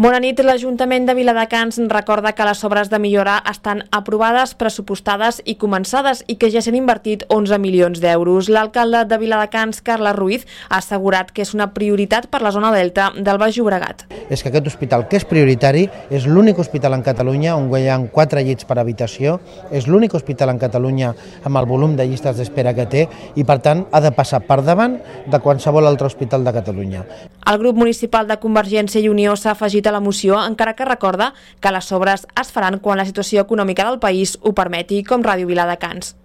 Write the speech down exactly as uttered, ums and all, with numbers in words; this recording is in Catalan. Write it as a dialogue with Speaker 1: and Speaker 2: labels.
Speaker 1: Bona nit. L'Ajuntament de Viladecans recorda que les obres de millora estan aprovades, pressupostades i començades i que ja s'han invertit onze milions d'euros. L'alcalde de Viladecans, Carles Ruiz, ha assegurat que és una prioritat per la zona delta del Baix Llobregat.
Speaker 2: És que aquest hospital, que és prioritari, és l'únic hospital en Catalunya on hi ha quatre llits per habitació, és l'únic hospital en Catalunya amb el volum de llistes d'espera que té i, per tant, ha de passar per davant de qualsevol altre hospital de Catalunya.
Speaker 1: El grup municipal de Convergència i Unió s'ha afegit a la moció, encara que recorda que les obres es faran quan la situació econòmica del país ho permeti, com Ràdio Viladecans.